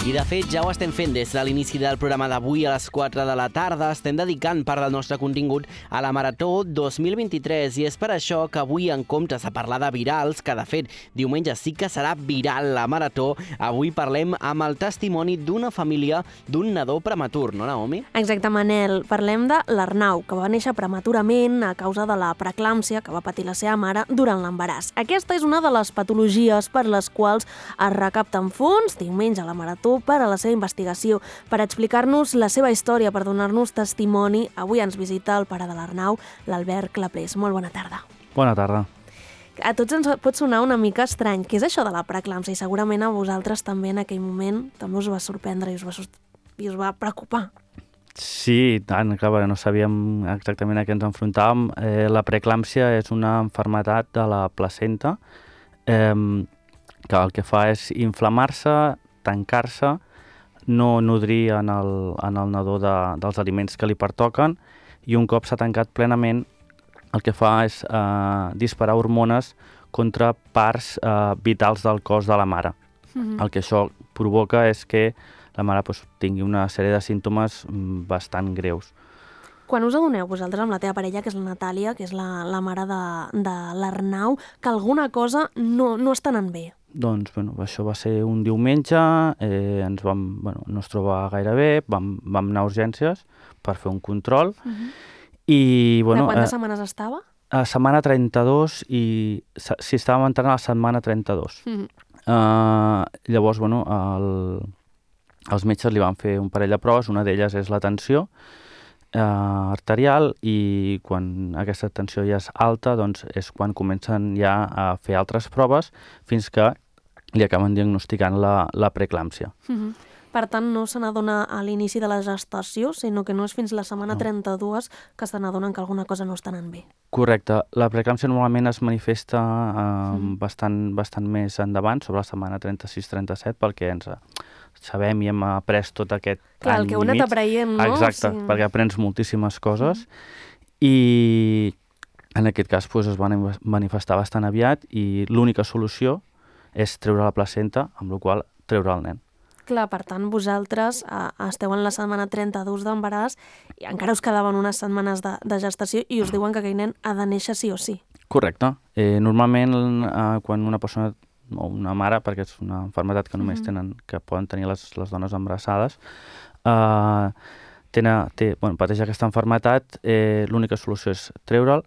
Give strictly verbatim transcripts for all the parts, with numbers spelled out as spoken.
I de fet ja ho estem fent des de l'inici del programa d'avui a les quatre de la tarda. Estem dedicant part del nostre contingut a la Marató dos mil vint-i-tres i és per això que avui, en comptes de parlar de virals, que de fet diumenge sí que serà viral la Marató, avui parlem amb el testimoni d'una família d'un nadó prematur, no, Naomi? Exacte, Manel. Parlem de l'Arnau, que va néixer prematurament a causa de la preeclàmpsia que va patir la seva mare durant l'embaràs. Aquesta és una de les patologies per les quals es recapten fons diumenge a la Marató per a la seva investigació. Per explicar-nos la seva història, per donar-nos testimoni, avui ens visita el pare de l'Arnau, l'Albert Clapés. Molt bona tarda. Bona tarda. A tots ens pot sonar una mica estrany. Què és això de la preeclàmpsia? I segurament a vosaltres també en aquell moment també us va sorprendre i us va, i us va preocupar. Sí, tant, clar, no sabíem exactament a què ens enfrontàvem. Eh, la preeclàmpsia és una malaltia de la placenta eh, que el que fa és inflamar-se, tancar-se, no nodrir en el, en el nadó de, dels aliments que li pertoquen i un cop s'ha tancat plenament el que fa és eh, disparar hormones contra parts eh, vitals del cos de la mare. Mm-hmm. El que això provoca és que la mare pues, tingui una sèrie de símptomes bastant greus. Quan us adoneu vosaltres amb la teva parella, que és la Natàlia, que és la, la mare de, de l'Arnau, que alguna cosa no, no està anant bé? Doncs bueno, això va ser un diumenge, eh, ens vam, bueno, no es troba gaire bé, vam, vam anar a urgències per fer un control. Uh-huh. I, bueno, de quantes eh, setmanes estava? A setmana trenta-dos i si estàvem entrant a la setmana trenta-dos. Uh-huh. Uh, llavors, bueno, el, els metges li van fer un parell de proves, una d'elles és la tensió eh, arterial i quan aquesta tensió ja és alta, doncs és quan comencen ja a fer altres proves fins que li acaben diagnosticant la, la preeclàmpsia. Uh-huh. Per tant, no se n'adona a l'inici de la gestació, sinó que no és fins la setmana no. trenta-dos que se n'adonen que alguna cosa no està anant bé. Correcte. La preeclàmpsia normalment es manifesta eh, mm. bastant, bastant més endavant, sobre la setmana trenta-sis trenta-set, perquè ens sabem i hem après tot aquest Clar, any el que heu anat aprenent, no? Exacte, sí. Perquè aprens moltíssimes coses mm. i en aquest cas pues, es van manifestar bastant aviat i l'única solució és treure la placenta, amb la qual cosa treure el nen. Clar, per tant, vosaltres eh, esteu en la setmana trenta-dos d'embaràs i encara us quedaven unes setmanes de, de gestació i us diuen que aquell nen ha de néixer sí o sí. Correcte. Eh, normalment, eh, quan una persona o una mare, perquè és una malaltia que només tenen, que poden tenir les, les dones embarassades, eh, tenen, té, bueno, pateix aquesta malaltia, eh, l'única solució és treure'l,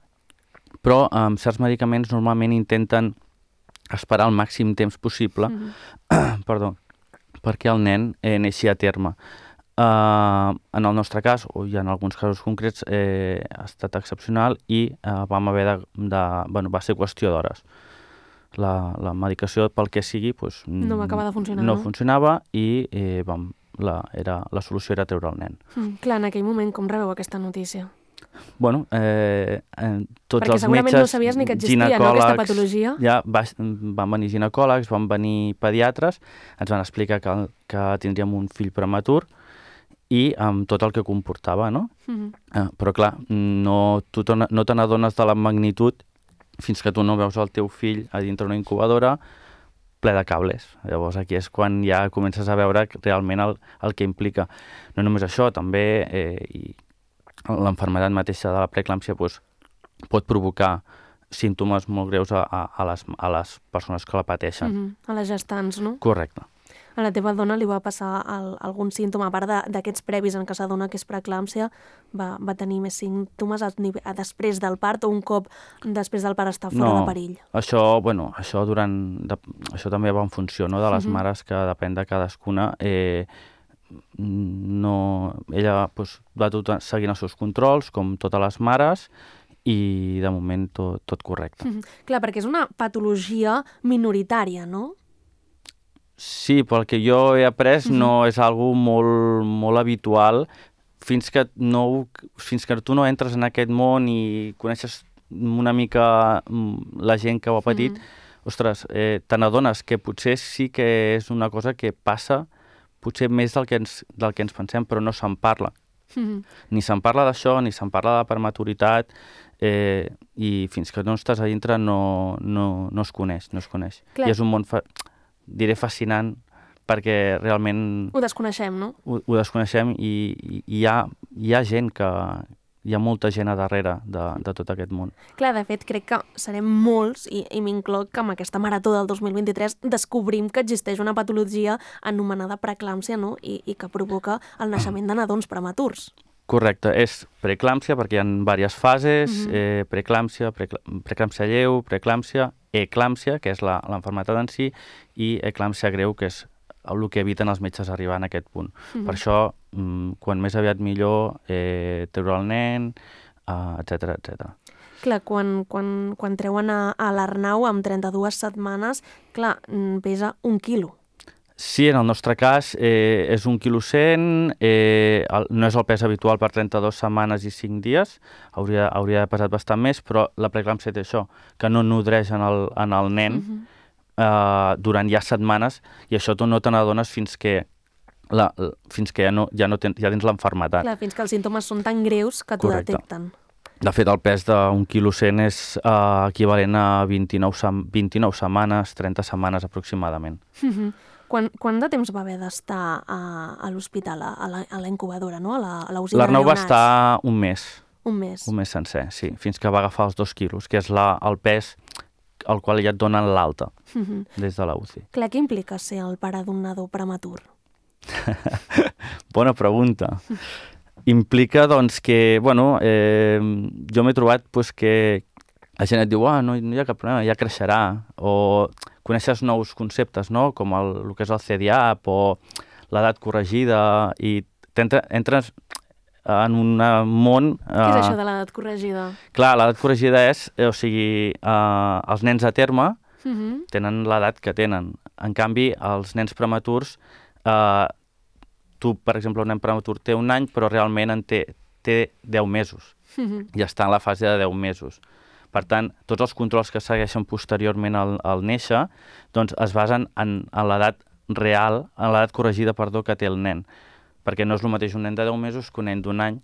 però amb certs medicaments normalment intenten esperar el màxim temps possible, mm-hmm. perdó, perquè el nen eh, neixi a terme. Uh, en el nostre cas, o ja en alguns casos concrets, eh, ha estat excepcional i eh, vam haver de, de... Bueno, va ser qüestió d'hores. La, la medicació, pel que sigui, pues, no va acabar de funcionar, no? No funcionava i eh, vam, la, era, la solució era treure el nen. Mm, clar, en aquell moment, com rebeu aquesta notícia? Bueno, eh, eh, tots Perquè els segurament metges, no sabies ni que existia, no, aquesta patologia. Ja va, van venir ginecòlegs, van venir pediatres, ens van explicar que, que tindríem un fill prematur i amb tot el que comportava, no? Mm-hmm. eh, però clar, no, tu no te n'adones de la magnitud fins que tu no veus el teu fill a dintre una incubadora ple de cables. Llavors aquí és quan ja comences a veure realment el, el que implica. No només això, també eh, i l'enfermedad mateixa de la preeclàmpsia pues, pot provocar símptomes molt greus a, a, a, les, a les persones que la pateixen. Mm-hmm. A les gestants, no? Correcte. A la teva dona li va passar el, algun símptoma, a part d'aquests previs en què s'adona que és preeclàmpsia, va, va tenir més símptomes a, a després del part o un cop després del part està fora no, de perill? Això, bueno, això, durant, de, això també va en funció, no?, de les mm-hmm. mares, que depèn de cadascuna. Eh, no, ella pues, va tot seguint els seus controls, com totes les mares, i de moment tot, tot correcte. Mm-hmm. Clar, perquè és una patologia minoritària, no? Sí, pel que jo he après mm-hmm. no és algo molt, molt habitual fins que, no, fins que tu no entres en aquest món i coneixes una mica la gent que ho ha patit, mm-hmm. ostres, eh, te n'adones que potser sí que és una cosa que passa potser més del que ens, del que ens pensem, però no se'n parla. Mm-hmm. Ni se'n parla d'això, ni se'n parla de prematuritat, eh, i fins que no estàs a dintre no, no, no es coneix, no es coneix. Clar. I és un món, fa, diré, fascinant, perquè realment... Ho desconeixem, no? Ho, ho desconeixem i, i hi, ha, hi ha gent que... Hi ha molta gent a darrere de, de tot aquest món. Clar, de fet, crec que serem molts, i, i m'incloc que amb aquesta marató del dos mil vint-i-tres descobrim que existeix una patologia anomenada preeclàmpsia, no? I, i que provoca el naixement de nadons prematurs. Correcte, és preeclàmpsia perquè hi ha diverses fases, uh-huh. eh, preeclàmpsia, preeclàmpsia lleu, preeclàmpsia, eclàmpsia, que és l'enfermetat en si, i eclàmpsia greu, que és el que eviten els metges arribar en aquest punt. Uh-huh. Per això, quan més aviat millor, eh, treure el nen, uh, etcètera, etcètera. Clar, quan, quan, quan treuen a, a l'Arnau amb trenta-dues setmanes, clar, pesa un quilo. Sí, en el nostre cas eh, és un quilo cent, eh, el, no és el pes habitual per trenta-dues setmanes i cinc dies, hauria, hauria pesat bastant més, però la preeclàmpsia té això, que no nodreix en el, en el nen, uh-huh. Uh, durant ja setmanes, i això tu no te n'adones fins que, la, fins que ja, no, ja, no ten, ja tens l'enfermetat. Clar, fins que els símptomes són tan greus que t'ho detecten. De fet, el pes d'un quilo cent és uh, equivalent a vint-i-nou, vint-i-nou setmanes, trenta setmanes aproximadament. Uh-huh. Quan, quant de temps va haver d'estar a, a l'hospital, a, a la incubadora, no? a la, a la U C I de L'Arnau va neonats? estar un mes. Un mes. Un mes sencer, sí, fins que va agafar els dos quilos, que és la, el pes al qual ja et donen l'alta uh-huh. des de la U C I. Clar, què implica ser el pare d'un nadó prematur? Bona pregunta. Implica, doncs, que, bueno, eh, jo m'he trobat pues, que la gent et diu, ah, no, no hi ha cap problema, ja creixerà, o coneixes nous conceptes, no?, com el, el que és el C D A P o l'edat corregida, i entres en un món... Què és això de l'edat corregida? Clar, l'edat corregida és, o sigui, eh, els nens a terme uh-huh. tenen l'edat que tenen. En canvi, els nens prematurs, eh, tu, per exemple, un nen prematur té un any, però realment en té, té deu mesos. Uh-huh. I està en la fase de deu mesos. Per tant, tots els controls que segueixen posteriorment al, al néixer, doncs es basen en, en l'edat real, en l'edat corregida, perdó, que té el nen. Perquè no és el mateix un nen de deu mesos que un nen d'un any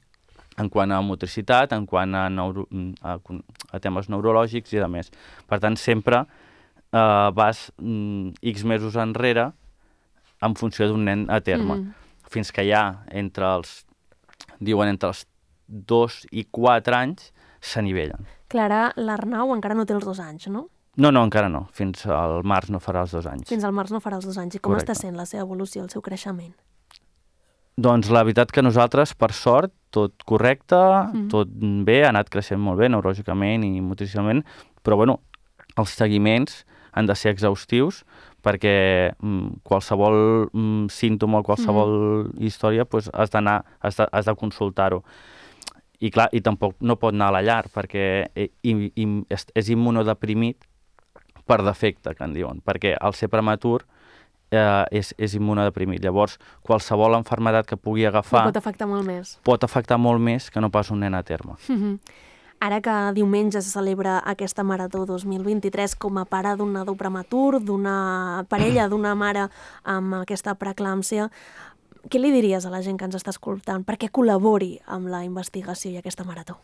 en quant a motricitat, en quant a, neuro, a, a temes neurològics i de més. Per tant, sempre eh, vas mm, X mesos enrere en funció d'un nen a terme. Mm. Fins que ja entre els, diuen, entre els dos i quatre anys s'anivellen. Clara, l'Arnau encara no té els dos anys, no? No, no, encara no. Fins al març no farà els dos anys. Fins al març no farà els dos anys. I com Correcte. està sent la seva evolució, el seu creixement? Doncs la veritat que nosaltres, per sort, tot correcte, mm. tot bé, ha anat creixent molt bé, neurològicament i motricionalment, però bueno, els seguiments han de ser exhaustius perquè mm, qualsevol mm, símptoma o qualsevol mm. història pues, has d'anar, has de, has de consultar-ho. I clar, i tampoc no pot anar a la llar perquè i, i, és, és immunodeprimit per defecte, que en diuen, perquè al ser prematur Eh, és, és immunodeprimit. Llavors, qualsevol malaltia que pugui agafar... Pot afectar molt més. Pot afectar molt més que no pas un nen a terme. Uh-huh. Ara que diumenge se celebra aquesta Marató dos mil vint-i-tres com a pare d'un nadó prematur, d'una parella, d'una mare amb aquesta preeclàmpsia, què li diries a la gent que ens està escoltant perquè col·labori amb la investigació i aquesta marató?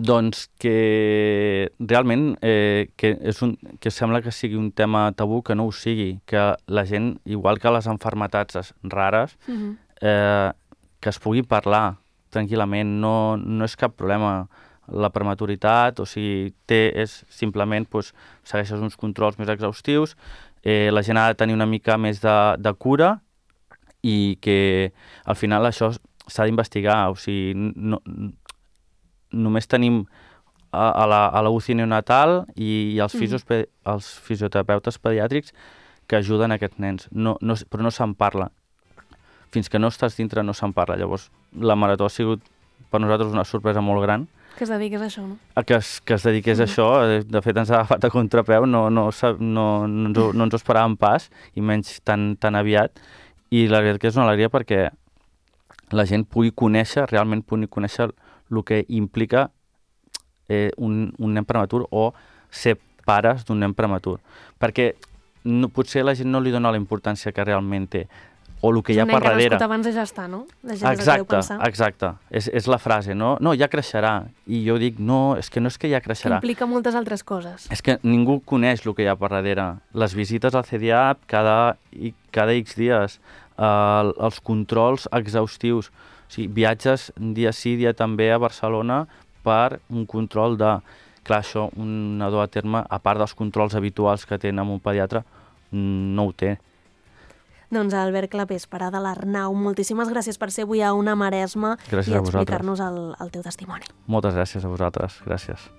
Doncs que realment eh, que, és un, que sembla que sigui un tema tabú, que no ho sigui, que la gent, igual que les malalties rares, uh-huh. eh, que es pugui parlar tranquil·lament, no, no és cap problema la prematuritat, o sigui, té, és simplement, doncs, segueixes uns controls més exhaustius, eh, la gent ha de tenir una mica més de, de cura i que al final això s'ha d'investigar, o sigui, no, només tenim a, a, la, a la U C I neonatal i, i els, fisios, mm. els fisioterapeutes pediàtrics que ajuden a aquests nens, no, no, però no se'n parla. Fins que no estàs dintre no se'n parla. Llavors, la marató ha sigut per nosaltres una sorpresa molt gran. Que es dediqués a això, no? Que es, que es dediqués mm. a això. De fet, ens ha agafat a contrapeu, no, no, no, no, ens, ho, no ens ho esperàvem pas, i menys tan, tan aviat. I la veritat que és una alegria perquè la gent pugui conèixer, realment pugui conèixer el que implica eh, un, un nen prematur o ser pares d'un nen prematur. Perquè no, potser la gent no li dona la importància que realment té. o el que hi ha per darrere. És un nen que ha nascut abans de ja està, no? La gent exacte, es exacte. És, és la frase, no? No, ja creixerà. I jo dic, no, és que no és que ja creixerà. Implica moltes altres coses. És que ningú coneix el que hi ha per darrere. Les visites al C D A P cada, cada X dies, eh, els controls exhaustius, o sigui, viatges dia sí, dia també a Barcelona per un control de... Clar, això un nadó a terme, a part dels controls habituals que tenen amb un pediatre, no ho té. Doncs Albert Clapés, pare de l'Arnau, moltíssimes gràcies per ser avui a Una Maresma gràcies i a vosaltres. explicar-nos el, el teu testimoni. Moltes gràcies a vosaltres, gràcies.